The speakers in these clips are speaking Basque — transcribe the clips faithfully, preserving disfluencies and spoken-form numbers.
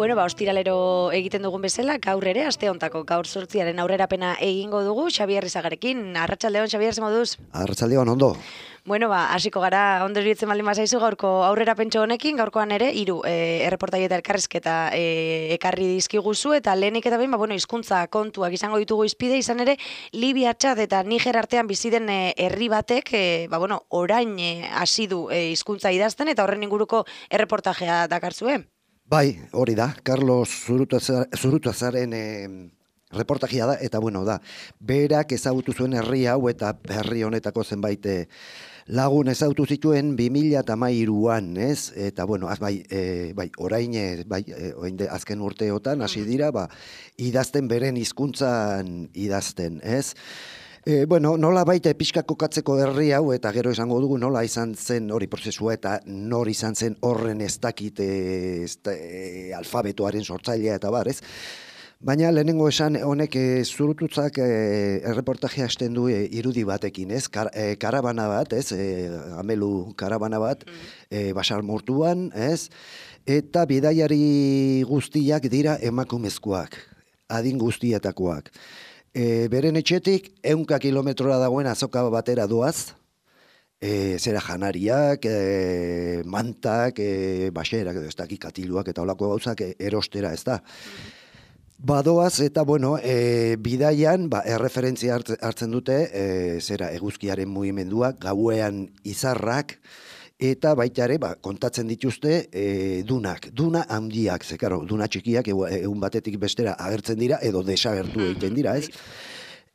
Bueno, ba, ostiralero egiten dugun bezala, gaur ere, aste hontako gaur zortziaren aurrerapena egingo dugu, Xabier Izagarekin. Arratsaldeon, Xabier, ze moduz? Arratsaldeon, ondo. Bueno, ba, hasiko gara ondo iruditzen baldin bazaizu gaurko aurrerapentxo honekin, gaurkoan ere hiru e, erreportai eta elkarrizketa e, ekarri dizkiguzu, eta lehenik eta behin, ba, bueno, hizkuntza kontuak izango ditugu izpide, izan ere, Libia, Txad eta Niger artean bizi den e, herri batek, e, ba, bueno, orain e, hasi du e, hizkuntza idazten, eta horren inguruko erreportajea dakarzue. Bai, hori da, Carlos Zurutazaren e, reportajia da, eta bueno, da, berak ezagutu zuen herri hau eta herri honetako zenbait e, lagun ezagutu zituen bi mila hamairuan, ez? Eta bueno, az, bai, e, bai, orain, e, bai, e, orain de, azken urteotan hasi dira, ba, idazten beren hizkuntzan idazten, ez? E, bueno, nola baita pixka kokatzeko herri hau, eta gero esango dugu nola izan zen hori prozesua, eta nor izan zen horren ez dakit e, ez, e, alfabetoaren sortzailea eta bar, ez? Baina lehenengo esan honek e, Zurututzak e, erreportajea hasten du e, irudi batekin, ez? Kar, e, karabana bat, ez? E, amelu karabana bat, e, basamortuan, ez? Eta bidaiari guztiak dira emakumezkoak, adin guztietakoak. E, beren etxetik, ehunka kilometrora dagoen azoka batera doaz, e, zera janariak, e, mantak, e, baxerak, ez dakik katiluak eta olako gauzak e, erostera, ez da. Badoaz, eta bueno, e, bidaian, ba, erreferentzia hartzen dute, e, zera eguzkiaren mugimendua, gauean izarrak, eta baita ere, ba, kontatzen dituzte e, dunak, duna handiak, ze karo, duna txikiak egun batetik bestera agertzen dira, edo desagertu egiten dira, ez?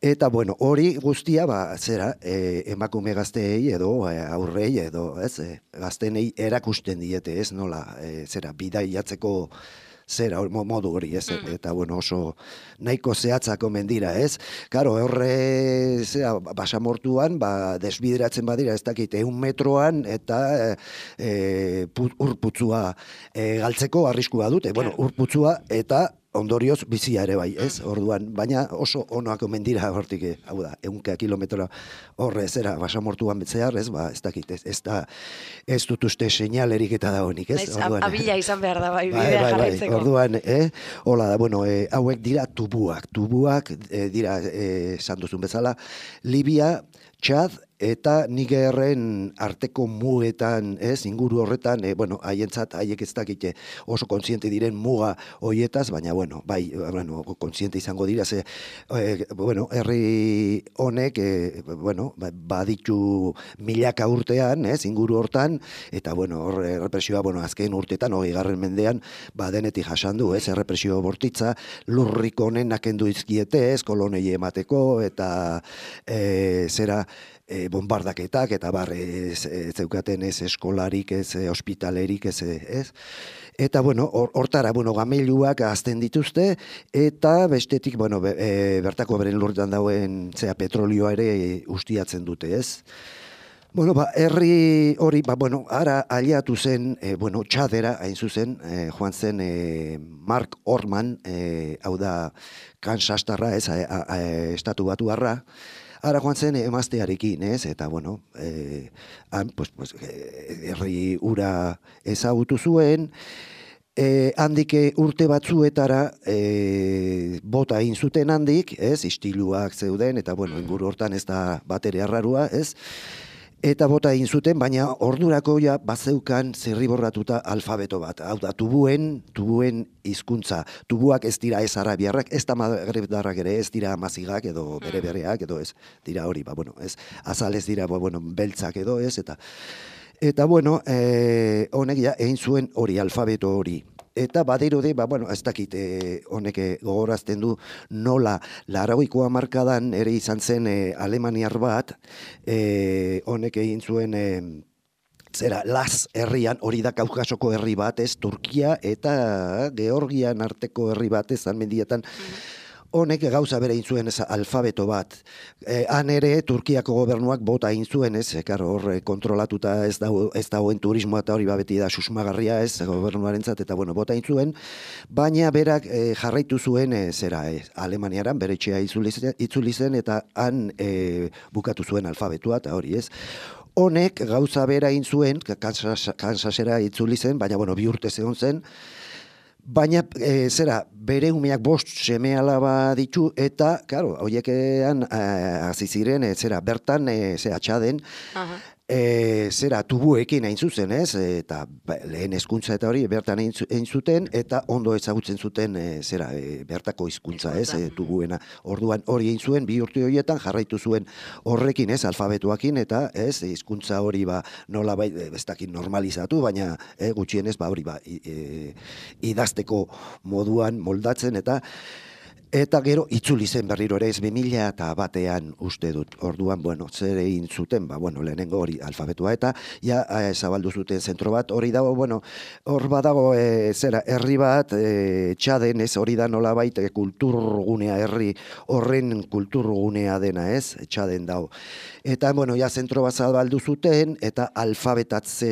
Eta, bueno, hori guztia, ba, zera, e, emakume gazteei edo e, aurrei edo, ez, e, gaztenei erakusten diete, ez, nola, e, zera, bidaiatzeko zera, modu hori, ez, mm. eta, bueno, oso nahiko zehatzako mendira, ez? Karo, horre, zera, basamortuan, ba, desbideratzen badira, ez dakit, eun metroan, eta e, urputzua e, galtzeko arriskua dute, bueno, urputzua, eta ondorioz bizia ere bai, ez? Orduan, baina oso onoako mendira hortik, hau da, ehunka kilometro horre zera basamortuan betzehar, ez? Ba, ez dakit, ez, ez da, ez dut uste seinalerik eta dagoenik, ez? Orduan, abila izan behar da, bai, bai, bidea bai, jarraitzeko. Bai, orduan, eh? Hola da, bueno, eh, hauek dira tubuak, tubuak eh, dira, eh, esan duzun bezala, Libia, Txad, eta Nigerren arteko mugetan, ez, inguru horretan, e, bueno, haientzat, haiek ez dakite oso kontziente diren muga hoietaz, baina, bueno, bai, bueno, kontziente izango dira, ze, e, bueno, herri honek, e, bueno, baditu milaka urtean, ez, inguru hortan, eta, bueno, hor, errepresioa, bueno, azken urtetan, hogei garren mendean, ba, denetik jasandu, ez, errepresio bortitza, lurrik honen nakendu izkiete, ez, kolonei emateko, eta, e, zera, E, bombardaketak, eta bar, ez, ez zeukaten ez eskolarik, ez ospitalerik, ez, ez. Eta, bueno, hortara, bueno, gameiluak azten dituzte, eta bestetik, bueno, be, e, bertako beren lurretan dauen, zera, petrolioa ere e, ustiatzen dute, ez. Bueno, ba, herri hori, ba, bueno, ara aliatu zen, e, bueno, Txadera, hain zuzen, e, joan zen e, Mark Orman, e, hau da, Kansastarra, ez, a, a, a, estatu batu harra, ara joan zen emaztearekin, ez? Eta, bueno, eh, han, pues, pues, herri ura ezagutu zuen, eh, handik urte batzuetara eh, bota egin zuten handik, ez? Istiluak zeuden, eta, bueno, inguru hortan ez da batere arrarua, ez? Eta bota egin zuten, baina ordurako ja bazeukan zirriborratuta alfabeto bat. Hau da, tubuen, tubuen hizkuntza. Tubuak ez dira ez arabiarrak, ez da magrebdarrak ere, ez dira amazigak edo bere bereak edo ez. Dira hori, ba, bueno, ez. Azal ez dira, ba, bueno, beltzak edo ez, eta... Eta, bueno, eh, honek ja egin zuen hori, alfabeto hori. Eta badirudi, ba, bueno, ez dakit eh, honek gogorazten du nola laurogeiko hamarkadan ere izan zen eh, alemaniar bat, eh, honek egin zuen eh, zera, Las herrian, hori da Kaukasoko herri bat, ez, Turkia eta Georgian arteko herri bat, ez, mendietan. honek gauza bere intzuen ez alfabeto bat. E, han ere Turkiako gobernuak bota intzuen ez, e, karo, hor kontrolatuta ez dago, ez dagoen turismoa eta hori babeti da susmagarria ez, gobernuarentzat eta bueno, bota intzuen, baina berak e, jarraitu zuen e, zera, e, Alemaniaran bere etxea itzuli zen, itzuli zen eta han e, bukatu zuen alfabetua eta hori ez. Honek gauza bera egin zuen, Kansas, Kansasera itzuli zen, baina bueno, bi urte zegoen zen, baina e, zera, bere umeak bost seme alaba ditu eta, claro, hoiekean hasi ziren, e, zera, bertan, e, zera, txaden, uh-huh. E, zera, tubuekin hain zuzen, ez? Eta ba, lehen hezkuntza eta hori bertan egin zuten, eta ondo ezagutzen zuten e, zera, e, bertako hizkuntza, ez? E, tubuena. Orduan hori egin zuen, bi urte horietan jarraitu zuen horrekin, ez? Alfabetuakin, eta ez? Hizkuntza hori ba, nola bai, ez dakit normalizatu, baina e, gutxienez ba, hori ba, e, idazteko moduan moldatzen, eta Eta gero itzuli zen berriro ere ez bi mila eta batean uste dut. Orduan, bueno, zer egin zuten, ba, bueno, lehenengo hori alfabetua eta ja e, zabaldu zuten zentro bat, hori dago, bueno, hor badago e, zera, herri bat, e, txaden ez hori da nolabait e, kulturgunea, herri horren kulturgunea dena ez, txaden dago. Eta, bueno, ja zentro bat zabaldu zuten, eta alfabetatze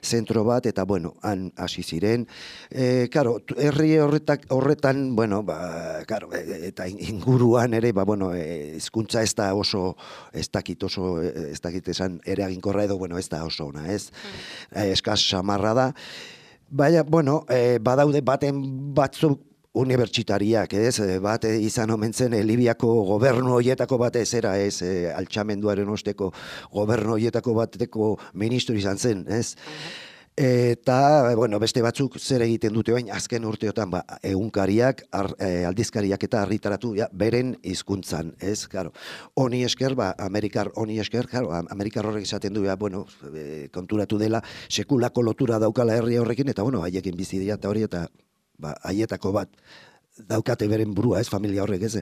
zentro bat, eta, bueno, han hasi ziren. E, karo, herri horretak, horretan, bueno, ba, karo, eta inguruan ere, ba, bueno, hizkuntza ez da oso, ez dakit oso, ez dakit esan eraginkorra edo, bueno, ez da oso ona, ez? Mm. Eskaz samarra da. Baina, bueno, e, badaude baten batzuk unibertsitariak, ez? Bat izan omen zen e, Libiako gobernu horietako batez era, ez? E, altxamenduaren osteko gobernu horietako bateko ministro izan zen, ez? Mm. Eta, bueno, beste batzuk zer egiten dute bain, azken urteotan, ba, egunkariak, ar, e, aldizkariak eta argitaratu ja, beren hizkuntzan, ez, claro. Honi esker, ba, Amerikar honi esker, claro, Amerikar horrek esaten du, ja, bueno, e, konturatu dela, sekulako lotura daukala herri horrekin, eta, bueno, haiekin bizi dira eta hori, eta, ba, haietako bat daukate beren burua, ez, familia horrek, ez.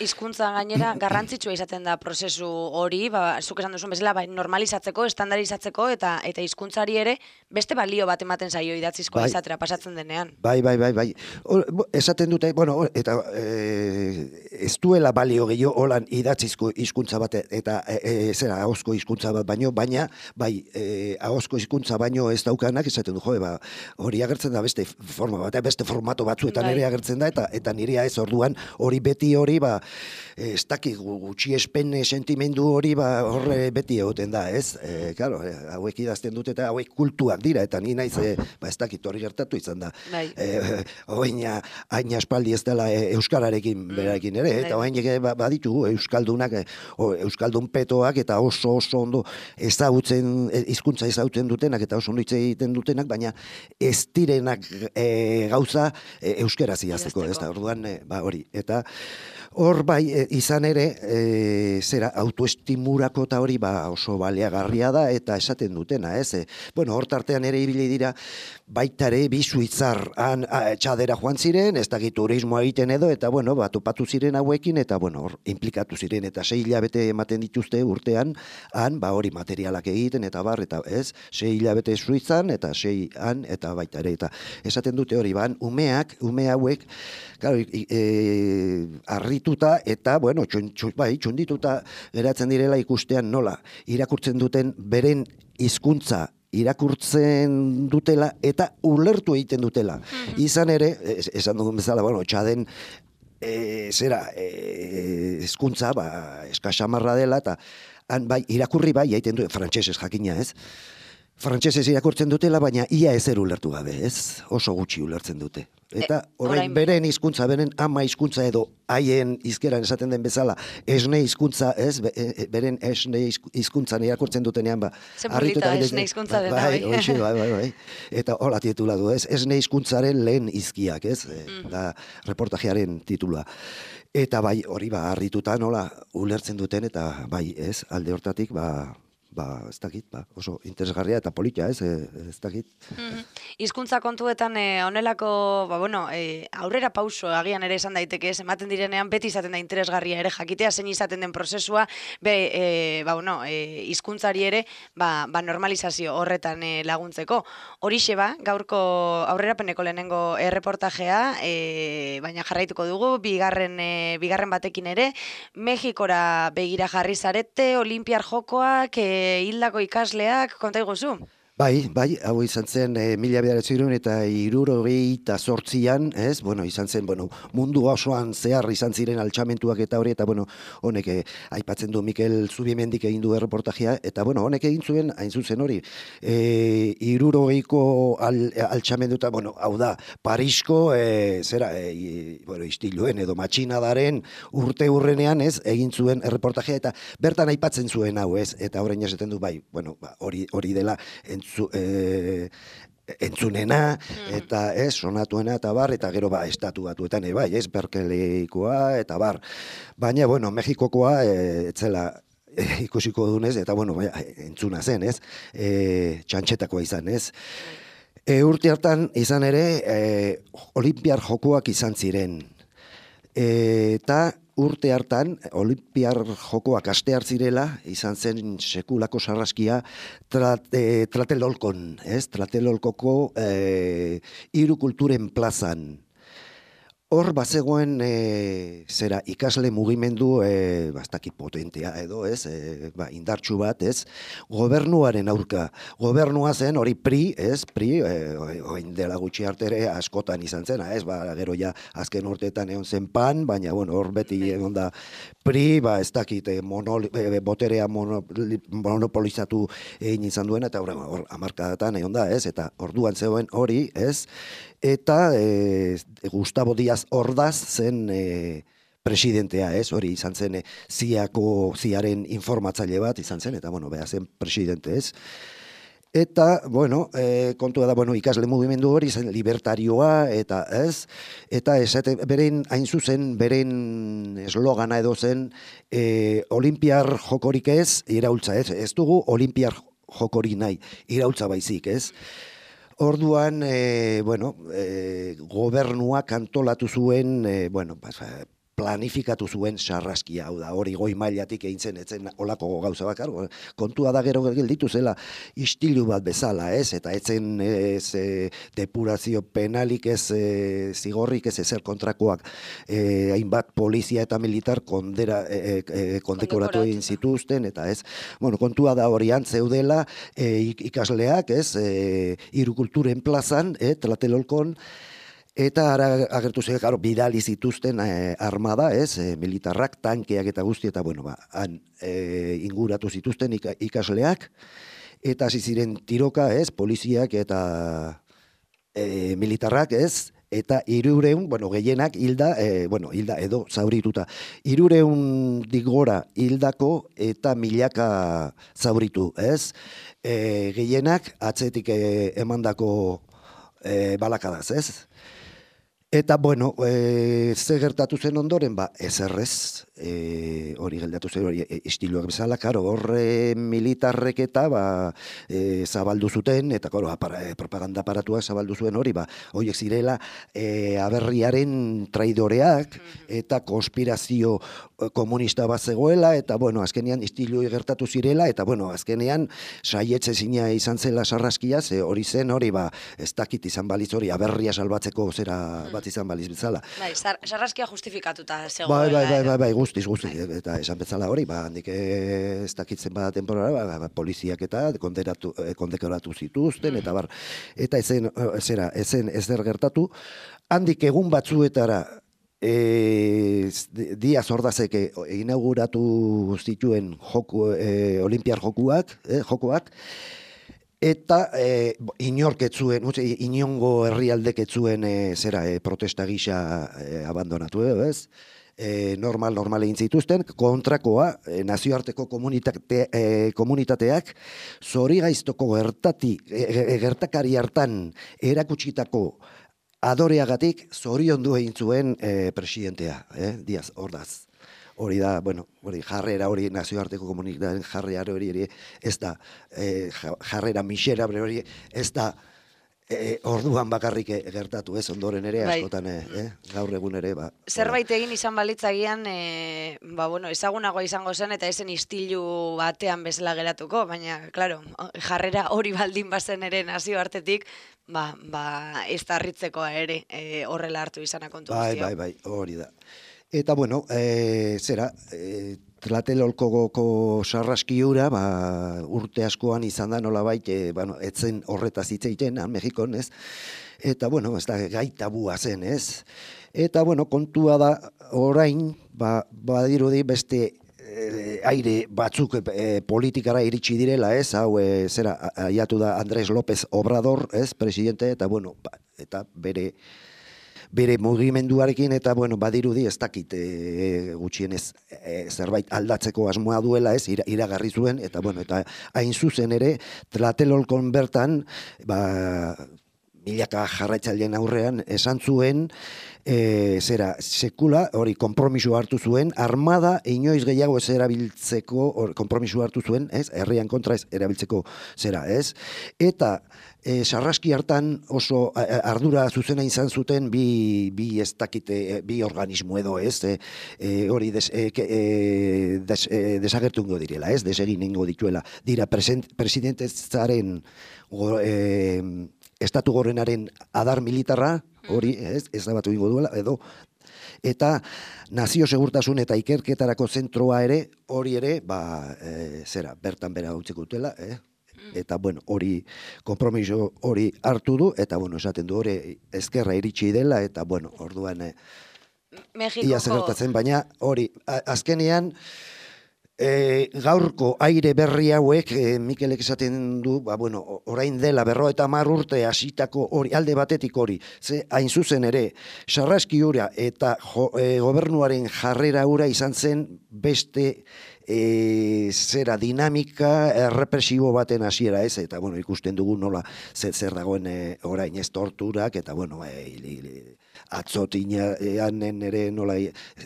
Hizkuntza gainera garrantzitsua izaten da prozesu hori, ba, zuk esan duzun bezala, bai, normalizatzeko, estandarizatzeko, eta eta hizkuntzari ere beste balio bat ematen zaio idatzizkoa bai, izatera pasatzen denean. Bai, bai, bai, bai. O, esaten dute, bueno, eta e, ez duela balio gehiago holan idatzizko hizkuntza bat, eta e, e, zera, ahozko hizkuntza bat baino, baina, bai, e, ahozko hizkuntza baino ez daukanak, esaten du, jo, ba, hori agertzen da beste forma bat, beste formato batzuetan bai. Ere agertzen da, eta eta nirea ez orduan, hori beti hori, ba, ez dakik gutxi espen sentimendu hori ba horre beti egoten da, ez? E, claro, hauek idazten dute eta hauek kultuak dira, eta ni naiz, e, ba ez dakit hori gertatu izan da. E, Oina, hain aspaldi ez dela e, euskararekin berarekin ere, eta oain ba, baditugu euskaldunak, e, o, euskaldun petoak eta oso oso ondo ezagutzen, hizkuntza ezagutzen dutenak eta oso ondo hitz egiten dutenak, baina ez direnak e, gauza e, euskaraz idazteko, ez da, orduan, e, ba hori, eta hor bai, e, izan ere, e, zera, autoestimurako eta hori ba, oso baliagarria da, eta esaten dutena, ez? E, bueno, hor tartean ere ibili dira, baita ere, bi suitzar han a, txadera joan ziren, ez dakit turismoa egiten edo, eta bueno, bat topatu ziren hauekin, eta bueno, hor implikatu ziren, eta sei hilabete ematen dituzte urtean, han, ba hori materialak egiten, eta bar, eta ez, sei hilabete suitzan, eta sei han, eta baita ere, eta esaten dute hori, ban, umeak, ume hauek, claro, e, arrituta eta, bueno, txun, txun, bai, txundituta geratzen direla ikustean nola, irakurtzen duten beren hizkuntza irakurtzen dutela eta ulertu egiten dutela. Mm-hmm. Izan ere, esan dugun bezala, bueno, txaden e, zera, e, hizkuntza, ba, eskasamarra dela, eta han, bai, irakurri bai, egiten du, frantsesez jakina, ez? Frantsesez irakurtzen dutela, baina ia ezer ulertu gabe, ez? Oso gutxi ulertzen dute. Eta orain beren hizkuntza, beren ama hizkuntza edo haien hizkeran esaten den bezala, esne hizkuntza, ez? Beren esne hizkuntzan irakurtzen dutenean, ba. Zepulita esne hizkuntza dena, bai. Bai, bai, bai, bai. Eta hola titula du, ez? Esne hizkuntzaren lehen hizkiak, ez? Mm. Da reportajearen titula. Eta bai, hori ba, harrituta nola ulertzen duten, eta bai, ez? Alde hortatik, ba, ba, ez dakit, ba, oso interesgarria eta politia, ez, ez dakit. Hizkuntza kontuetan honelako, ba, bueno, e, aurrera pauso agian ere esan daiteke, ez, ematen direnean beti izaten da interesgarria ere jakitea zein izaten den prozesua, be, e, ba, bueno, e, hizkuntzari ere, ba, ba, normalizazio horretan e, laguntzeko. Horixe ba, gaurko aurrerapeneko lehenengo erreportajea, e, baina jarraituko dugu, bigarren, e, bigarren batekin ere, Mexikora begira jarri zarete, Olinpiar jokoak, e, hildako ikasleak, konta iguzu? Bai, bai, hau izan zen e, mila bederatziehun eta hirurogeita zortzian, ez? Bueno, izan zen, bueno, mundu osoan zehar izan ziren altxamentuak eta hori, eta bueno, honek e, aipatzen du Mikel Zubimendik egin du erreportajea, eta bueno, honek egin zuen, hain zuzen hori, e, hirurogeiko al, altxamendu eta, bueno, hau da, Parisko, e, zera, e, bueno, istiluen edo matxinadaren urte urrenean, ez, egin zuen erreportajea, eta bertan aipatzen zuen hau, ez? Eta orain esaten du, bai, bueno, ba, hori, hori dela, Entzu, e, entzunena, eta ez, sonatuena, eta bar, eta gero ba, estatu batuetan, e, bai, ez, Berkeleikoa, eta bar. Baina, bueno, Mexikokoa, e, etzela, e, ikusiko dunez, eta bueno, bai, entzuna zen, ez, e, txantxetakoa izan, ez. E, urte hartan izan ere, e, Olinpiar jokoak izan ziren. E, eta urte hartan, Olinpiar jokoak astear zirela, izan zen sekulako sarraskia trat, e, Tlatelolkon, ez? Tlatelolkoko e, hiru kulturen plazan. Hor bazegoen e, zera ikasle mugimendu e, bastaki potentea edo, ez, e, ba, indartsu bat, ez, gobernuaren aurka. Gobernua zen hori P R I, ez, P R I, e, oin dela gutxi arte ere askotan izan zena, ez, ba, gero ja azken urteetan egon zen PAN, baina, bueno, hor beti egon da P R I, ba, ez dakit, e, monol, e, boterea mono, monopolizatu egin izan duena, eta hor, hor hamarkadatan egon da, ez, eta orduan zegoen hori, ez, eta e, Gustavo Díaz Ordaz zen e, presidentea, ez, hori izan zen e, ziako, ziaren informatzaile bat izan zen, eta, bueno, beha zen presidente, ez. Eta, bueno, e, kontua da, bueno, ikasle mugimendu hori zen libertarioa, eta ez, eta esate, beren, hain zuzen, beren eslogana edo zen, e, Olinpiar jokorik ez, iraultza, ez, ez dugu Olinpiar jokori nahi, iraultza baizik, ez. Orduan, e, bueno, e, gobernuak antolatu zuen, e, bueno, pues, planifikatu zuen sarraskia, hau da, hori goi mailatik egin zen, etzen olako gauza bakar, kontua da gero gelditu zela istilu bat bezala, ez, eta etzen ez, e, depurazio penalik ez, e, zigorrik ez ezer kontrakoak, e, hainbat polizia eta militar kondera, e, e, kondekoratu egin zituzten, eta ez, bueno, kontua da horian zeudela e, ikasleak, ez, e, hiru kulturen plazan, e, Tlatelolkon, eta ara agertu zen, claro, bidali zituzten e, armada, ez, e, militarrak, tankeak eta guzti, eta bueno, ba, han e, inguratu zituzten ikasleak, eta hasi ziren tiroka, ez, poliziak eta e, militarrak, ez, eta hirureun, bueno, gehienak hilda, e, bueno, hilda edo zaurituta. Hirureun digora hildako eta milaka zauritu, ez? E, gehienak atzetik e, emandako e, balakadaz, ez? Eta, bueno, e, ze gertatu zen ondoren, ba, ezerrez, e, hori geldatu zen, hori e, istiluak bezala, karo, horre militarrek eta, ba, e, zabaldu zuten, eta, karo, apara, e, propaganda aparatuak zabaldu zuen hori, ba, horiek zirela, e, aberriaren traidoreak, eta konspirazio komunista bat zegoela, eta, bueno, azkenean istiluak gertatu zirela, eta, bueno, azkenean saietze zina izan zela sarraskia, ze hori zen, hori, ba, ez dakit izan baliz hori, aberria salbatzeko zera bat izan baliz bezala. Bai, sarraskia justifikatuta zegoela. Bai, bai, bai, bai, bai, guztiz, guztiz, eta esan bezala hori, ba, handik ez dakitzen ba temporara, ba, ba, poliziak eta konderatu, kondekoratu zituzten, eta bar, eta ezen, zera, ezen ezer gertatu, handik egun batzuetara, E, Diaz Ordazek inauguratu zituen joku, e, Olinpiar jokuak, eh, jokoak, eta e, inorketzuen, inongo herrialdeketzuen e, zera e, protesta gisa e, abandonatu, eh, ez? E, normal, normal egin zituzten, kontrakoa, e, nazioarteko komunitate, e, komunitateak, zori gaiztoko gertati, e, gertakari hartan erakutsitako adoreagatik zoriondu egin zuen e, presidentea, eh, Diaz Ordaz. hori da, bueno, hori jarrera hori nazioarteko komunitatearen jarrera hori ere ez da, eh, jarrera misera hori ez da, E, orduan bakarrik gertatu, ez, ondoren ere, bai. askotan, eh, gaur egun ere, ba. Zerbait egin izan balitzagian, e, ba, bueno, ezagunagoa izango zen, eta esen istilu batean bezala geratuko, baina, claro, jarrera hori baldin bazen ere nazio artetik, ba, ba, ez da harritzekoa ere, e, horrela hartu izana kontu bai, guztia. bai, bai, hori da. Eta, bueno, e, zera, e, Tlatelolkoko sarraskiura, ba, urte askoan izan da nolabait, e, bueno, etzen horretaz hitz egiten, han Mexikon, ez? Eta, bueno, ez da gai tabua zen, ez? Eta, bueno, kontua da orain, ba, badirudi beste e, aire batzuk e, politikara iritsi direla, ez? Hau, e, zera, aiatu da Andrés López Obrador, ez? Presidente, eta, bueno, ba, eta bere bere mugimenduarekin eta bueno, badirudi ez dakit e, gutxienez e, zerbait aldatzeko asmoa duela, ez, ira, iragarri zuen eta bueno, eta hain zuzen ere Tlatelolkon bertan, ba milaka jarraitzaileen aurrean esan zuen e, zera, sekula, hori konpromiso hartu zuen, armada inoiz gehiago ez erabiltzeko, hori konpromiso hartu zuen, ez, herrian kontra ez erabiltzeko zera, ez, eta E, sarraski hartan oso ardura zuzena izan zuten bi, bi ez dakite, bi organismo edo ez, e, e, hori des, e, e, des, e, desagertu ingo direla, ez, desegin ingo dituela. Dira, presidentezaren e, estatu gorenaren adar militarra, hori, ez, ez da batu ingo duela, edo, eta nazio segurtasun eta ikerketarako zentroa ere, hori ere, ba, e, zera, bertan bera utziko dutela, eh? Eta, bueno, hori, konpromiso hori hartu du, eta, bueno, esaten du hori ezkerra iritsi dela, eta, bueno, orduan, eh, ia zegertatzen, baina hori, azkenean, e, gaurko aire berri hauek, e, Mikelek esaten du, ba, bueno, orain dela berro eta mar urte hasitako hori, alde batetik hori, ze hain zuzen ere, sarraski hura eta jo, e, gobernuaren jarrera hura izan zen beste, E, zera dinamika errepresibo baten hasiera ez, eta bueno, ikusten dugu nola zer, zer dagoen e, orain ez torturak, eta bueno, e, atzotinean ere nola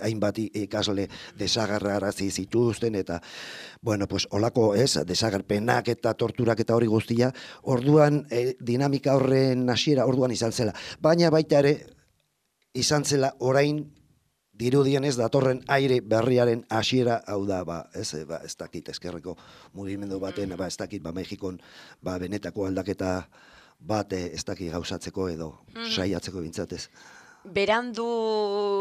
hainbat ikasle desagarrarazi zituzten, eta bueno, pues olako ez, desagerpenak eta torturak eta hori guztia, orduan e, dinamika horren hasiera orduan izan zela, baina baita ere izan zela orain dirudien ez datorren aire berriaren hasiera hau da, ba, ez, ba, ez dakit eskerreko mugimendu baten, ba, ez dakit, ba, Mexikon, ba, benetako aldaketa bat ez dakit gauzatzeko edo saiatzeko bintzatez. Berandu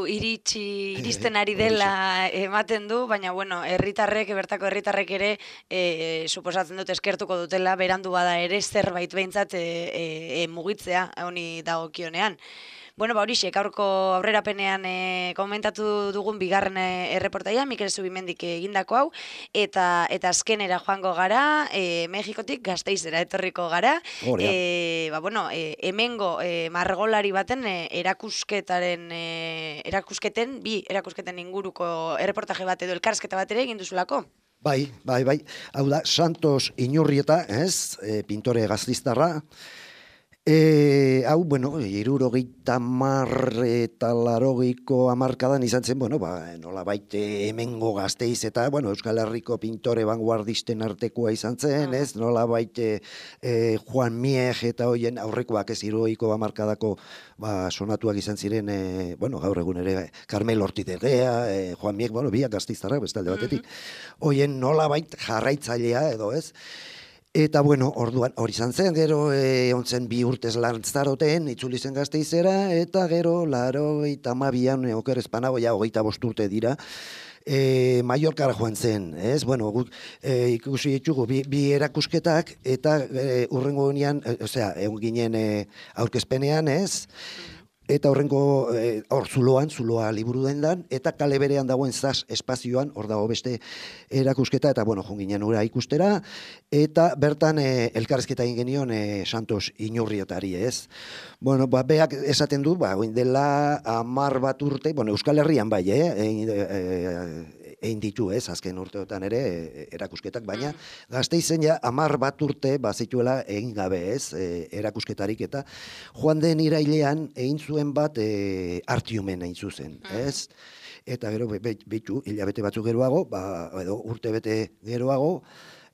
iritsi, iristen ari dela ematen du, baina, bueno, herritarrek, bertako herritarrek ere, e, suposatzen dut eskertuko dutela, berandu bada ere zerbait behintzat e, e, mugitzea, honi dagokionean. Bueno, ba horixe, gaurko aurrerapenean e, komentatu dugun bigarren erreportaia, Mikel Zubimendik egindako hau, eta eta azkenera joango gara, e, Mexikotik Gasteizera etorriko gara. E, ba, bueno, e, hemengo e, margolari baten e, erakusketaren, e, erakusketen, bi erakusketen inguruko erreportaje bat edo elkarrizketa bat ere egin duzulako. Bai, bai, bai. Hau da, Santos Inurrieta, ez, e, pintore gaztiztarra. E, hau, bueno, hirurogeita hamar eta laurogeiko hamarkadan izan zen, bueno, ba, nola baite hemengo Gasteiz eta, bueno, Euskal Herriko pintore vanguardisten artekoa izan zen, ez, nola baite e, Juan Mieg eta hoien aurrekoak ez hirurogeiko hamarkadako ba, sonatuak izan ziren, e, bueno, gaur egun ere Carmel Ortizegea, e, Juan Mieg, bueno, biak gaztiztarrak bestalde batetik, hoien nola bait jarraitzailea edo, ez, eta, bueno, orduan, hori izan zen, gero e, ontzen bi urtez lantzaroten, itzuli zen Gasteizera, eta gero, laro eta mabian, oker espanago, ja, hogeita bost urte dira, e, Mallorcara joan zen, ez? Bueno, guk e, ikusi ditugu bi, bi erakusketak, eta e, urrengo gunean, e, osea, egun ginen e, aurkezpenean, ez? Eta horrengo, hor zuloan, zuloa liburu dendan, eta kale berean dagoen zaz espazioan, hor dago beste erakusketa, eta bueno, jonginen ura ikustera, eta bertan e, elkarrezketa egin genion e, Santos Inurrietari, ez? Bueno, ba, beak esaten du, ba, oin dela hamar bat urte, bueno, Euskal Herrian bai, eh? E, e, egin ditu, ez, azken urteotan ere erakusketak, baina Gasteizen ja hamar bat urte bazituela egin gabe, ez, e, erakusketarik, eta joan den irailean egin zuen bat e, Artiumen egin zuzen, ez, eta gero bitu hilabete batzuk geroago, ba, edo urte bete geroago,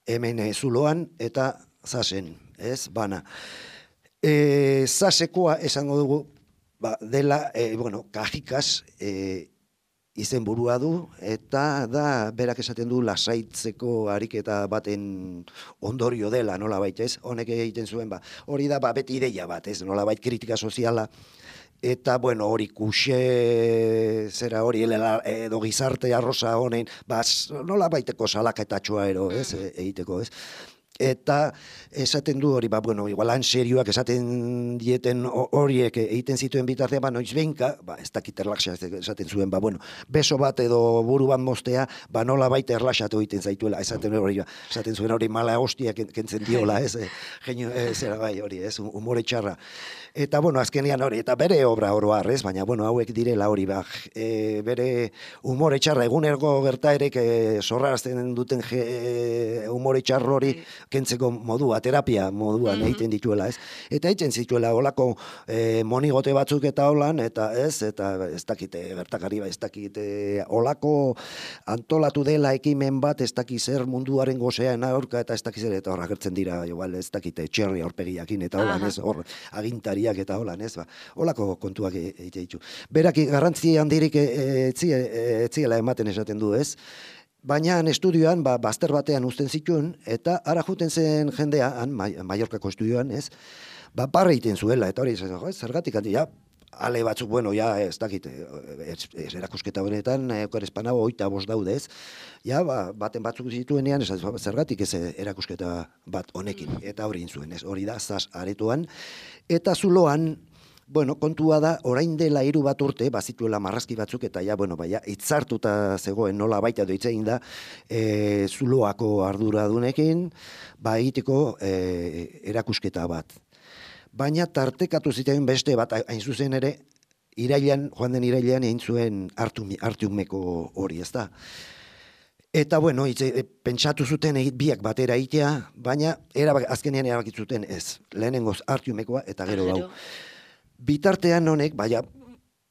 hemen e, zuloan eta zasen, ez, bana. E, zasekoa esango dugu, ba, dela, e, bueno, kajikas e, izen burua du, eta da, berak esaten du lasaitzeko ariketa baten ondorio dela, nola bait, ez? Honek egiten zuen, ba, hori da, ba, beti ideia bat, ez? Nola bait, kritika soziala, eta, bueno, hori kuxe, zera hori, edo gizarte arroza honen, ba, nola baiteko salakatatxoa ero, ez? Egiteko, ez? Eta esaten du hori, ba, bueno, igualan serioak esaten dieten horiek egiten zituen bitartea, ba, noiz behinka, ba, ez dakit erlaxa esaten zuen, ba, bueno, beso bat edo buru bat mostea, ba, nola baita erlaxatu egiten zaituela, esaten hori, ba, esaten zuen hori mala hostia kentzen diola, ez, genio, zera bai, hori, ez, humore txarra. Eta, bueno, azkenean hori, eta bere obra oroar, ez, baina, bueno, hauek direla hori, ba, e, bere humore txarra, egunergo gertaerek e, zorrarazten duten je, e, humore txarro hori, kentzeko modua, terapia moduan mm-hmm. egiten dituela, ez? Eta egiten zituela olako e, monigote batzuk eta holan, eta ez, eta ez dakite gertakari, ez dakite olako antolatu dela ekimen bat, ez dakit zer munduaren gozean aurka, eta ez dakit zer, eta hor agertzen dira, igual, ez dakite txerri aurpegiakin, eta holan, ez, hor agintariak eta holan, ez, ba, olako kontuak egite ditu. Berak garrantzi handirik etziela ematen esaten du, ez? Baina estudioan, ba, bazter batean uzten zituen, eta ara juten zen jendea, han, Mallorcako estudioan, ez, ba, barre egiten zuela, eta hori, zergatik handi, ja, ale batzuk, bueno, ja, ez dakit, ez, ez erakusketa honetan, ekor espanago, oita bost daude, ez, ja, ba, baten batzuk zituenean, ez, zergatik ez erakusketa bat honekin, eta hori zuen, ez, hori da, zaz aretoan, eta zuloan, bueno, kontua da, orain dela hiru bat urte, bazituela marrazki batzuk, eta ja, bueno, baina, itzartuta zegoen nola baita doitzein da, e, zuloako arduradunekin, ba, egiteko e, erakusketa bat. Baina tartekatu zitean beste bat, hain zuzen ere, irailean, joan den irailean, egin zuen artiumeko hori, ez da. Eta, bueno, itze, pentsatu zuten egit biak batera egitea, baina erabak, azkenean erabakitzuten ez, lehenengoz artiumekoa eta gero hau. Bitartean honek, baina,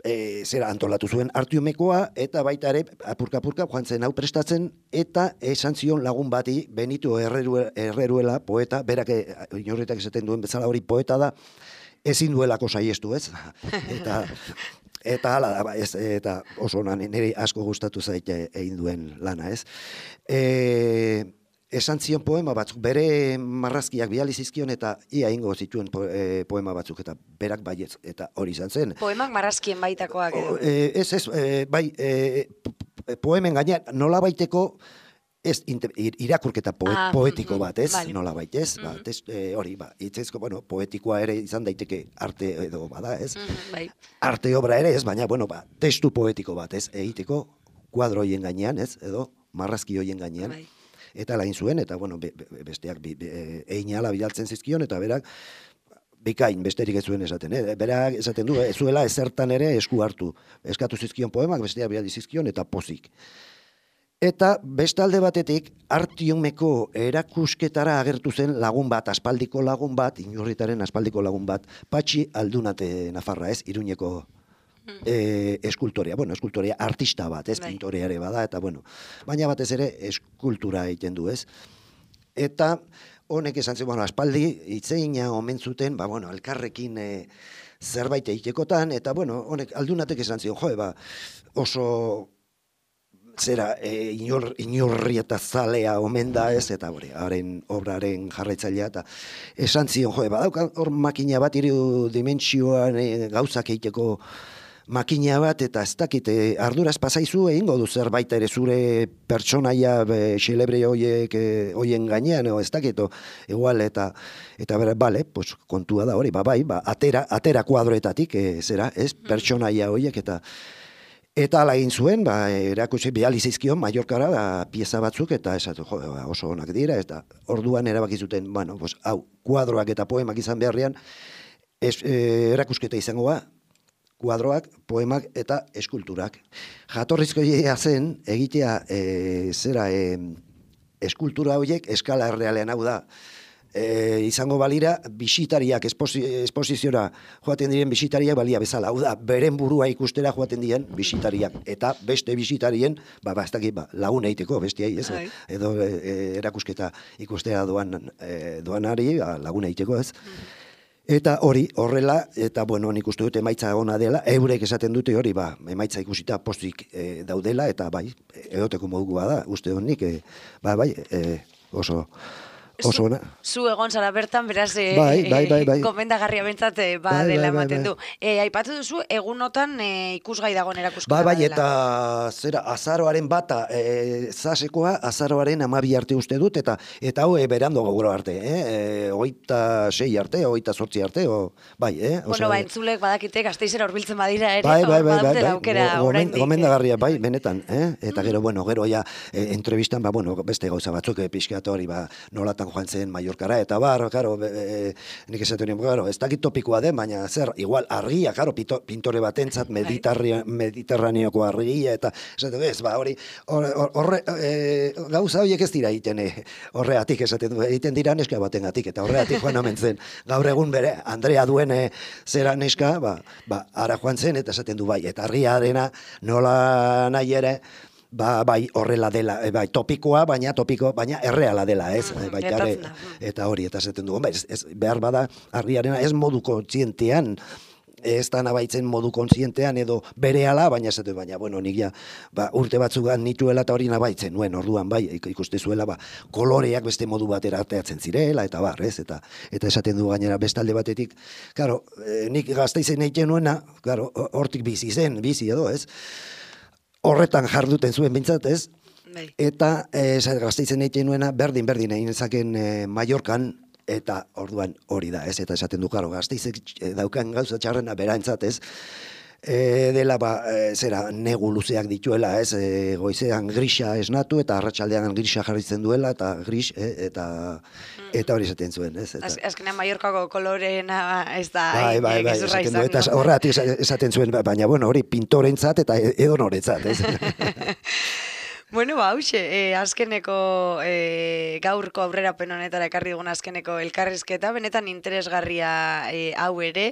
e, zera antolatu zuen artiumekoa, eta baita ere, apurka-apurka, joan zen hau prestatzen, eta esan zion lagun bati, Benito Herreruela, poeta, berak, inorretak esaten duen bezala hori poeta da, ezin duelako saiestu, ez? Eta, eta hala da, ez, eta oso nire asko gustatu zaite egin duen lana, ez? E, esan zion poema batzuk, bere marrazkiak bidali zizkion eta ia ingo zituen po, e, poema batzuk, eta berak baietz, eta hori izan zen. Poemak marrazkien baitakoak edo? E, ez, ez, e, bai, e, poemen gainean nola baiteko, ez irakurketa poet, ah, poetiko bat, ez, vale. Nola bait, ez, mm-hmm. ba, test, e, hori, ba, itzezko, bueno, poetikoa ere izan daiteke arte edo bada, ez, mm-hmm, bai. Arte obra ere, ez, baina, bueno, ba, testu poetiko bat, ez, egiteko kuadro hoien gainean, ez, edo marrazki hoien gainean. Bai. Eta lain zuen, eta, bueno, be, be, besteak be, be, einala bidaltzen zizkion, eta berak, bikain, besterik ez zuen esaten, eh? Berak esaten du, ez zuela ezertan ere esku hartu. Eskatu zizkion poemak, besteak bidali zizkion, eta pozik. Eta bestalde batetik, artiumeko erakusketara agertu zen lagun bat, aspaldiko lagun bat, Inurritaren aspaldiko lagun bat, Patxi Aldunate Nafarra, ez, Iruñeko E, eskultorea, bueno, eskultorea artista bat, ez, pintoreare bada, eta bueno, baina batez ere eskultura egiten du, ez. Eta honek esan zen, bueno, aspaldi hitzeina omen zuten, ba, bueno, elkarrekin e, zerbait egitekotan, eta bueno, honek Aldunatek esan zion, jo, ba, oso zera, e, inor, inorri eta zalea omen da, ez, eta hori, haren obraren jarraitzailea, eta esan zion, jo, ba, dauka hor makina bat, hiru dimentsioan e, gauzak egiteko makina bat, eta ez dakit, arduraz pasaizu egingo du zerbait ere zure pertsonaia xelebre hoiek hoien gainean, ez dakit, igual, eta eta bera, bale, pues, kontua da hori, ba, bai, ba, atera, atera kuadroetatik, e, zera, ez, pertsonaia hoiek, eta eta ala egin zuen, ba, erakutsi bidali zizkion Mallorcara da pieza batzuk, eta esatu, jo, ba, oso onak dira, eta orduan erabaki zuten, bueno, pues, hau, kuadroak eta poemak izan beharrean, es, e, erakusketa izango ba, kuadroak, poemak eta eskulturak. Jatorrizko idea zen, egitea, e, zera, e, eskultura horiek eskala errealean, hau da, e, izango balira bisitariak esposi, esposiziora joaten diren bisitariak balia bezala. Hau da, beren burua ikustera joaten diren bisitariak eta beste bisitarien, ba, ba, ez dakit, ba, lagun egiteko bestiai, ez? Ai. Edo e, erakusketa ikustera doan e, doanari, ba, lagun egiteko, ez? Eta hori, horrela, eta bueno, nik uste dut emaitza ona dela, eurek esaten dute hori, ba, emaitza ikusita postik e, daudela, eta bai, edoteko modukua da, uste dut nik, e, ba, bai, e, oso, oso ona. Zu egon zara bertan, beraz, e, Bai, bai, bai, bai. gomendagarria bentsat, e, ba, Bai, dela bai, bai, ematen bai. du. E, aipatu duzu, egunotan e, ikusgai dagoen erakusketa Ba, bai, badela. eta zera, azaroaren bata, e, zasekoa, azaroaren amabi arte uste dut, eta eta hau e, berando gaur arte, eh? E, oita sei arte, oita sortzi arte, o, bai, eh? Bueno, ba, entzulek badakite, Gasteizera hurbiltzen badira ere, Bai, bai, hor bai, bai, badutela bai, aukera go- gomen- oraindik. gomendagarria, bai, benetan, eh? Eta gero, bueno, gero ja, e, entrevistan, ba, bueno, beste gauza batzuk, e, pixkat hori, ba, nolatan joan zen Mallorcara, eta bar, karo, e, nik esaten nien, karo, ez dakit topikoa den, baina zer, igual, argia, karo, pito, pintore batentzat, mediterria- mediterraneoko argia, eta, esaten, ez, ba, hori, hor- hor- horre, e, gauza horiek ez dira egiten, e, horreatik esaten du, egiten dira neska batengatik, eta horreatik joan omen zen, gaur egun bere, Andrea duen e, zera neska, ba, ba, ara joan zen, eta esaten du bai, eta argiarena nola nahi ere, ba, bai, horrela dela, e, bai, topikoa, baina topiko, baina erreala dela, ez? Mm, E, baita ere, gertatzen da, mm. eta hori, eta esaten du, ez, ez, behar bada, argiarena ez modu kontzientean, ez da nabaitzen modu kontzientean edo berehala, baina esaten, baina, bueno, nik ja, ba, urte batzugan nituela eta hori nabaitzen, nuen, orduan, bai, ik- ikuste zuela, ba, koloreak beste modu batera arteatzen zirela, eta bar, ez, eta, eta esaten du gainera bestalde batetik, karo, e, nik Gasteizen egiten nuena, karo, hortik bizi zen, bizi edo, ez, horretan jarduten zuen bintzat, ez, Bai. eta e, Gasteizen egiten nuena, berdin, berdin egin ezaken e, Mallorcan, eta orduan hori da, ez, eta esaten du, karo, Gasteizek eh, daukan gauza txarrena berantzat, ez, e, dela, ba, e, zera, negu luzeak dituela, ez, e, goizean grisa esnatu, eta arratsaldean grisa jarritzen duela, eta gris, e, eta, eta hori esaten zuen, ez, eta... Az, azkenean Mallorcako koloreena ez da Bai, bai, bai, gezurra esaten du, eta izango. horregatik esa- esaten zuen, baina, bueno, hori pintorentzat eta edonoretzat, ez? Bueno, ba, hauxe, e, azkeneko e, gaurko aurrerapen honetara ekarri dugun azkeneko elkarrizketa, benetan interesgarria e, hau ere,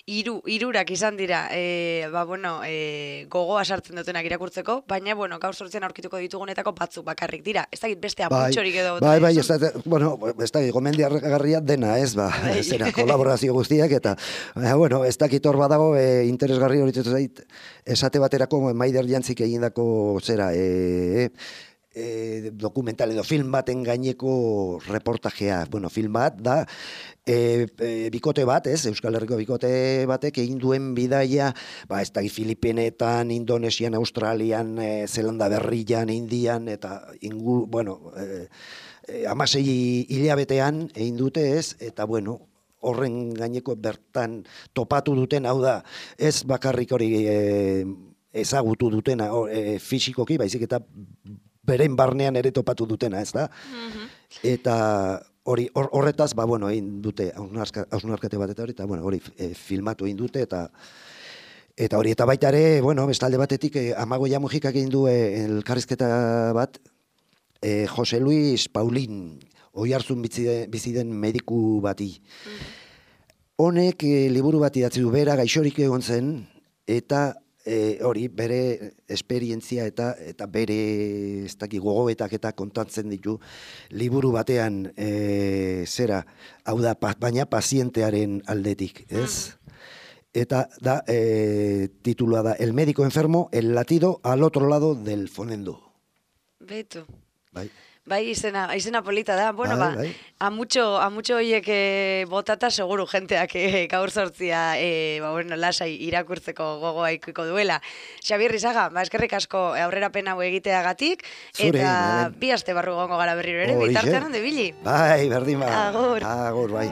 hiru hirurak izan dira, e, ba, bueno, e, gogoa sartzen dutenak irakurtzeko, baina, bueno, gaur sortzean aurkituko ditugunetako batzuk bakarrik dira. Ez dakit beste aputxorik edo... Bai, bai, ez da, bueno, ez da, gomendiargarria dena, ez, ba, Bai. zera, kolaborazio guztiak, eta, baina, bueno, ez dakit hor badago, e, interesgarri hori zait, esate baterako Maider Jantzik egindako, zera, e, e, dokumental edo film baten gaineko reportajea, bueno, film bat da, e, e, bikote bat, ez, Euskal Herriko bikote batek egin duen bidaia, ba, ez da, Filipinetan, Indonesian, Australian, e, Zelanda Berrian, Indian, eta ingu, bueno, e, e, amasei hilabetean egin dute, ez, eta, bueno, horren gaineko bertan topatu duten, hau da, ez bakarrik hori e, ezagutu dutena o, e, fisikoki, baizik eta beren barnean ere topatu dutena, ez da? Eta hori hor- horretaz, ba, bueno, egin dute hausnarkate bat eta hori, eta, bueno, hori e, filmatu egin dute, eta eta hori, eta baita ere, bueno, bestalde batetik, e, Amagoia Mujikak egin du e, elkarrizketa bat, e, Jose Luis Paulin, Oiartzun bizi den, bizi den mediku bati. Honek e, liburu bat idatzi du, bera gaixorik egon zen, eta e, hori bere esperientzia eta eta bere ez dakit gogoetak eta kontatzen ditu liburu batean, e, zera, hau da, pa, baina pazientearen aldetik, ez? Eta da, e, titulua da, El médico enfermo, el latido al otro lado del fonendo. Betu. Bai. Bai, izena, izena polita da. Bueno, Bai, ba, bai. amutxo, amutxo hoiek e, botata seguru jenteak e, gaur sortzia e, ba, bueno, lasai irakurtzeko gogoa ikiko duela. Xabier Rizaga, ba, eskerrik asko aurrerapen hau egiteagatik, Zuri, eta bai. bi aste barru gongo gara berriro ere, Horixe. bitartean onde bili. Bai, berdin ba. Agur. Agur, bai.